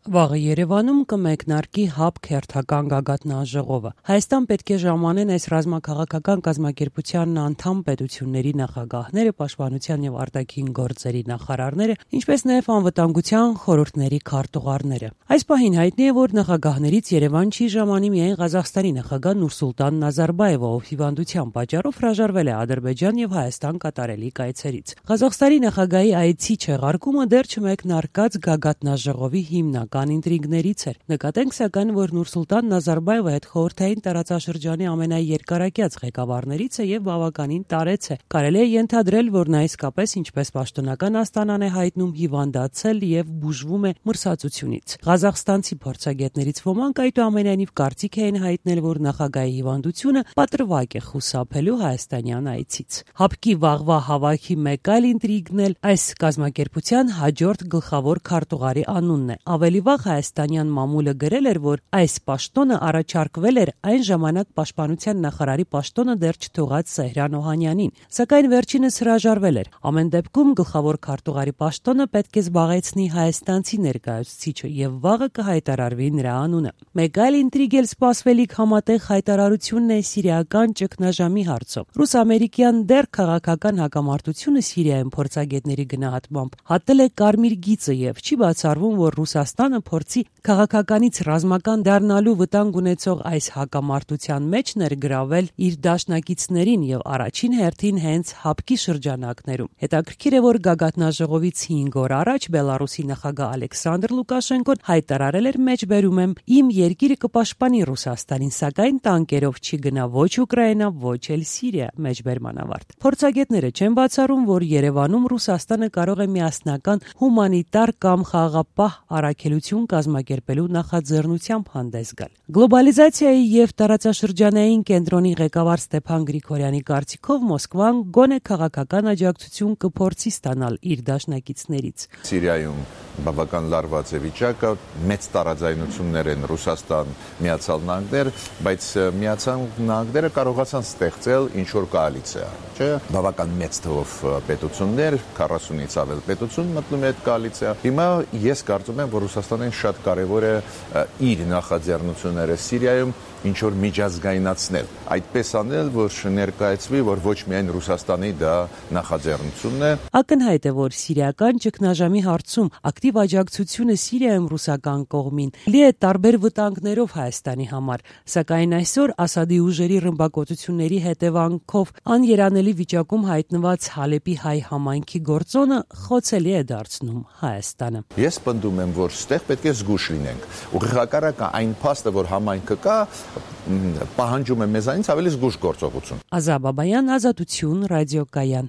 Վաղը Երևանում կմեկնարկի ՀԱԲ քերթական գագաթնաժողովը։ Հայաստան պետք է ժամանեն այս ռազմաքաղաքական կազմակերպության անդամ պետությունների նախագահները, պաշտպանության եւ արտաքին գործերի նախարարները, ինչպես նաեւ անվտանգության խորհուրդների քարտուղարները։ Այս պահին հայտնի է, որ նախագահներից Երևան չի ժամանի միայն Ղազախստանի նախագահ Նուրսուլտան Նազարբաևը, ով հիվանդության պատճառով հրաժարվել է Ադրբեջան եւ Հայաստան կատարելի կայցերից։ Ղազախստանի նախագահի այցի չեղարկումը դեռ չմեկնարկած գագաթնաժողովի հիմնական ինտրիգներից էր։ Նկատենք սակայն, որ Նուրսուլտան Նազարբաևը հետխորհրդային տարածաշրջանի ամենաերկարակյաց ղեկավարներից է եւ բավականին տարեց է։ Կարելի է ենթադրել, որ նա իսկապես, ինչպես պաշտոնական Աստանան է հայտնում, հիվանդացել եւ բուժվում է մրսածությունից։ Ղազախստանցի փորձագետներից ոմանք այդուամենայնիվ կարծիք էին հայտնել, որ նախագահի հիվանդությունը պատրվակ է խուսափելու հայաստանյան այցից։ ՀԱԲԿ-ի վաղվա հավաքի մեկ այլ ինտրիգն էլ այս կազմակերպության հաջորդ գլխավոր քարտուղարի անունն է։ Ավելի վաղ հայաստանյան մամուլը գրել էր, որ այս պաշտոնը առաջարկվել էր այն ժամանակ պաշտպանության նախարարի պաշտոնը դեռ չթողած Սեհրան Օհանյանին, սակայն վերջինս հրաժարվել էր։ Ամեն դեպքում գլխավոր քարտուղարի պաշտոնը պետք է զբաղեցնի հայաստանցի ներկայացուցիչը եւ վաղը կհայտարարվի նրա անունը։ Մեկ այլ ինտրիգ էլ սպասվելիք համատեղ հայտարարությունն է սիրիական ճգնաժամի հարցով։ Ռուս-ամերիկյան դեռ քաղաքական հակամարտությունը Սիրիայում փորձագետների գնահատմամբ հատել է կարմիր գիծը եւ չի բացառվում, որ Ռուսաստանը փորձի քաղաքականից ռազմական դառնալու վտանգ ունեցող այս հակամարտության մեջ ներգրավել իր դաշնակիցներին եւ առաջին հերթին հենց ՀԱԲԿ-ի շրջանակներում։ Հետաքրքիր է, որ գագաթնաժողովից 5 օր առաջ Բելարուսի նախագահ Ալեքսանդր Լուկաշենկոն հայտարարել էր մեջբերում եմ իմ երկիրը կպաշտպանի Ռուսաստանին, սակայն տանկերով չի գնա ոչ Ուկրաինա, ոչ էլ Սիրիա, մեջբերման ավարտ։ Փորձագետները չեն բացառում, որ Երևանում Ռուսաստանը կարող է միասնական հումանիտար կամ խաղաղապահ առաքելություն կազմակերպելու նախաձեռնությամբ հանդես գալ։ Գլոբալիզացիայի եւ տարածաշրջանային կենտրոնի ղեկավար Ստեփան Գրիգորյանի կարծիքով Մոսկվան գոնե քաղաքական աջակցություն կփորձի ստանալ իր դաշնակիցներից։ Սիրիայում բավական լարված է վիճակը, մեծ տարաձայնություններ են Ռուսաստան, Միացյալ Նահանգներ, բայց Միացյալ Նահանգները կարողացան ստեղծել ինչ-որ կոալիցիա, չէ՞։ Բավական մեծ թվով պետություններ, 40-ից ավել պետություն մտնում է այդ կոալիցիա։ Հիմա ես կարծում եմ, որ Ռուսաստանին շատ կարևոր է իր նախաձեռնությունները Սիրիայում ինչ-որ միջազգայնացնել, այդպես անել, որ ներկայացվի, որ ոչ միայն Ռուսաստանի դա նախաձեռնությունն է։ Ակնհայտ է, որ սիրիական ճգնաժամի հարցում ակտիվ աջակցությունը Սիրիայում ռուսական կողմին լի է տարբեր վտանգներով Հայաստանի համար, սակայն այսօր Ասադի ուժերի ռմբակոծությունների հետևանքով աներանելի վիճակում հայտնված Հալեպի հայ համայնքի գործոնը խոցելի է դարձնում Հայաստանը։ Ես պնդում եմ, որ ստեղ պետք է զգուշ լինենք։ Ուղղակարակը այն փաստը, որ համայնքը կա, պահանջում է մեզանից ավելի զգուշ գործողություն։ Ազա Բաբայան, Ազատություն, ռադիոկայան։